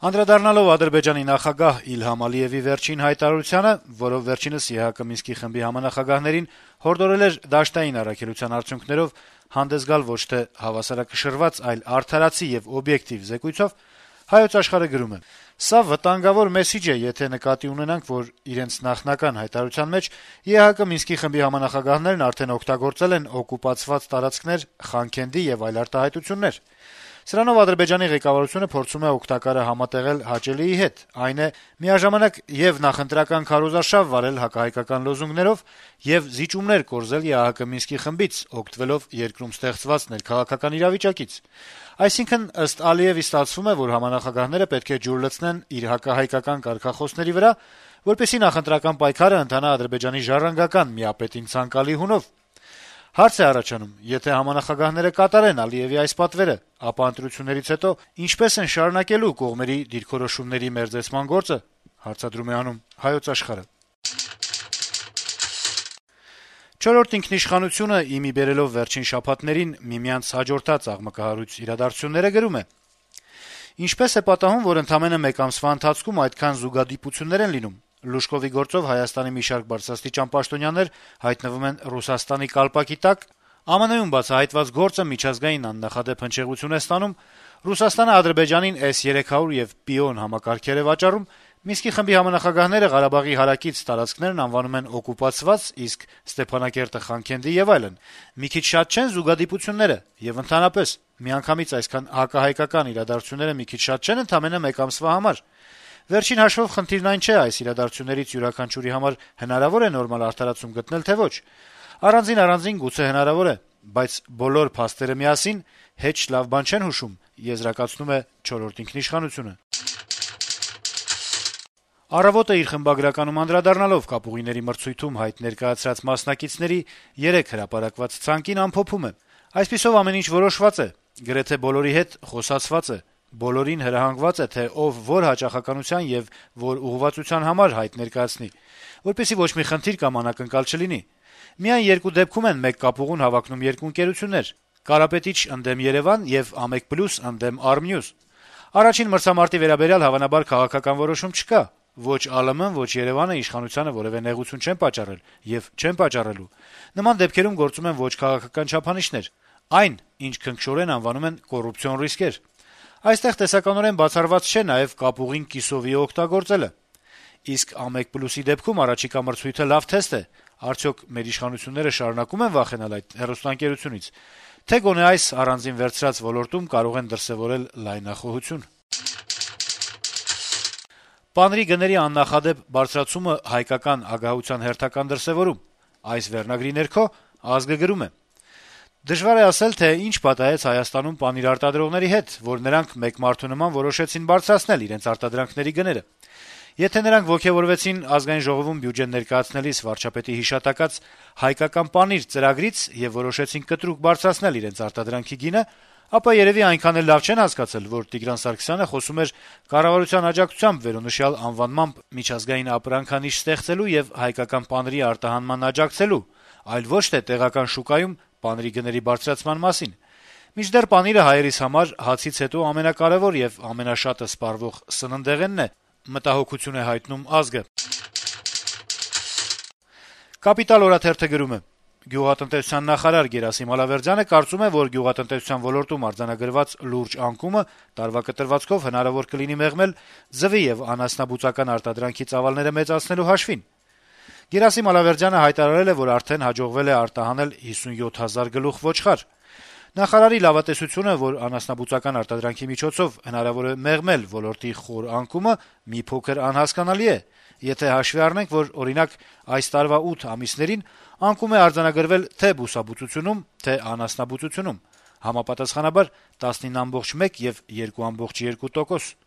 Անդրադառնալով Ադրբեջանի նախագահ Իլհամ Ալիևի վերջին հայտարարությանը, որով վերջինս ԵՀԿ Մինսկի խմբի համանախագահներին հորդորել էր դաշտային առաքելության արդյունքներով հանդես գալ ոչ թե հավասարակշռված, այլ արդարացի եւ օբյեկտիվ զեկույցով, Հայոց Աշխարհը գրում է. «Սա վտանգավոր մեսիջ է, եթե նկատի ունենանք, որ իրենց նախնական հայտարարության մեջ ԵՀԿ Մինսկի խմբի համանախագահներն արդեն օգտագործել են օկուպացված տարածքներ, Խանքենդի եւ այլ արտահայտություններ։ Սրանով Ադրբեջանի ղեկավարությունը փորձում է օգտակարը համատեղել հաճելիի հետ, այն է միաժամանակ եւ նախընտրական քարոզարշավ վարել հակահայկական լոզունգներով եւ զիջումներ կորզել ԵԱՀԿ Մինսկի խմբից, օգտվելով երկրում ստեղծված ներքաղաքական իրավիճակից։ Այսինքն, ըստ Ալիևի, ստացվում է, որ համանախագահները պետք է ջուր լցնեն իր հակահայկական կարգախոսների վրա, որպեսզի նախընտրական պայքարը ընթանա Ադրբեջանի ժառանգական միապետին ցանկալի հունով։ Հարց է առաջանում, եթե համանախագահները կատարեն Ալիևի այս պատվերը, ապա ընտրություններից հետո ինչպես են շարունակելու կողմերի դիրքորոշումների մերձեցման գործը, հարցադրում է անում Հայոց Աշխարհը։ Չորրորդ ինքնիշխանությունը իմի բերելով վերջին շաբաթներին միմյանց հաջորդած աղմկահարույց իրադարձությունները գրում է. Ինչպես է պատահում, որ ընդամենը մեկ ամսվա ընթացքում այդքան զուգադիպություններ են լինում։ Լուշկովի գործով Հայաստանի մի շարք բարձրաստիճան պաշտոնյաներ հայտնվում են Ռուսաստանի կալպակի տակ, ԱՄՆ-ում բացահայտված գործը միջազգային աննախադեպ հնչեղություն է ստանում, Ռուսաստանը Ադրբեջանին S-300 եւ Պիոն համակարգեր է վաճառում, Մինսկի խմբի համանախագահները Ղարաբաղի հարակից տարածքներն անվանում են օկուպացված, իսկ Ստեփանակերտը Խանքենդի եւ այլն։ Մի քիչ շատ չեն զուգադիպությունները եւ ընդհանրապես միանգամից այսքան հակահայկական իրադարձությունները մի քիչ շատ չեն ընդամենը մեկ ամսվա համար։ Վերջին հաշվով խնդիրն այն չէ, այս իրադարձություններից յուրաքանչյուրի համար հնարավոր է նորմալ արդարացում գտնել, թե ոչ։ Առանձին գուցե հնարավոր է, բայց բոլոր փաստերը միասին հեչ լավ բան չեն հուշում, եզրակացնում է չորրորդ ինքնիշխանությունը։ Առավոտը իր խմբագրականում անդրադառնալով կապուղիների մրցույթում հայտ ներկայացրած մասնակիցների 3 հրապարակված ցանկին ամփոփում է. այսպիսով ամեն ինչ որոշված է, գրեթե բոլորի հետ խոսացված է, բոլորին հրահանգված է, թե ով որ հաճախականության եւ որ ուղղվածության համար հայտ ներկայացնի, որպեսզի ոչ մի խնդիր կամ անակնկալ չլինի։ Միայն երկու դեպքում են մեկ կապուղուն հավակնում երկու ընկերություններ՝ Կարապետիչ ընդդեմ Երևան եւ Ամեկ+ ընդդեմ Արմնյուզ։ Առաջին մրցամարտի վերաբերյալ հավանաբար քաղաքական որոշում չկա։ Ոչ ԱԼՄ-ն, ոչ Երևանը իշխանությանը որևէ նեղություն չեն պատճառել եւ չեն պատճառելու։ Նման դեպքերում գործում են ոչ քաղաքական չափանիշներ։ Այն, ինչ քնքշորեն անվանում են կոռուպցիոն ռիսկեր։ Այստեղ տեսականորեն բացառված չէ նաեւ կապուղին կիսովի օգտագործելը։ Իսկ Ամեկ+-ի դեպքում առաջիկա մրցույթը լավ թեստ է։ Արդյոք մեր իշխանությունները շարունակում են վախենալ այդ հեռուստաընկերությունից, թե գոնե այս առանձին վերցրած ոլորտում կարող են դրսեւորել լայնախոհություն։ Պանրի գների աննախադեպ բարձրացումը հայկական ագահության հերթական դրսեւորում։ Այս վերնագրի ներքո Ազգը գրում է. Դժվար է ասել, թե ինչ պատահեց Հայաստանում պանիր արտադրողների հետ, որ նրանք մեկ մարդու նման որոշեցին բարձրացնել իրենց արտադրանքների գները։ Եթե նրանք ոգևորվեցին ազգային ժողովում բյուջեն ներկայացնելիս վարչապետի հիշատակած հայկական պանիր ծրագրից եւ որոշեցին կտրուկ բարձրացնել իրենց արտադրանքի գինը, ապա երևի այնքան էլ լավ չեն հասկացել, որ Տիգրան Սարգսյանը խոսում էր կառավարության աջակցությամբ վերոնշյալ անվանմամբ միջազգային ապրանքանիշ ստեղծելու եւ հայկական պանրի արտահանման աջակցելու, այլ ոչ թե տեղական շուկայում պանրի գների բարձրացման մասին։ Մինչդեռ պանիրը հայերիս համար հացից հետո ամենակարևոր եւ ամենաշատը սպառվող սննդեղենն է, մտահոգություն է հայտնում Ազգը։ Կապիտալ օրաթերթը գրում է. Գյուղատնտեսության նախարար Գերասիմ Ալավերդյանը կարծում է, որ գյուղատնտեսության ոլորտում արձանագրված լուրջ անկումը տարվա կտրվածքով հնարավոր կլինի մեղմել ձվի եւ անասնաբուծական արտադրանքի ծավալները մեծացնելու հաշվին։ Գերասիմ Ալավերդյանը հայտարարել է, որ արդեն հաջողվել է արտահանել 57,000 գլուխ ոչխար։ Նախարարի լավատեսությունը, որ անասնաբուծական արտադրանքի միջոցով հնարավոր է մեղմել ոլորտի խոր անկումը, մի փոքր անհասկանալի է, եթե հաշվի առնենք, որ օրինակ այս տարվա 8 ամիսներին անկում է արձանագրվել թե բուսաբուծությունում, թե անասնաբուծությունում, համապատասխանաբար 19,1 եւ 2,2%։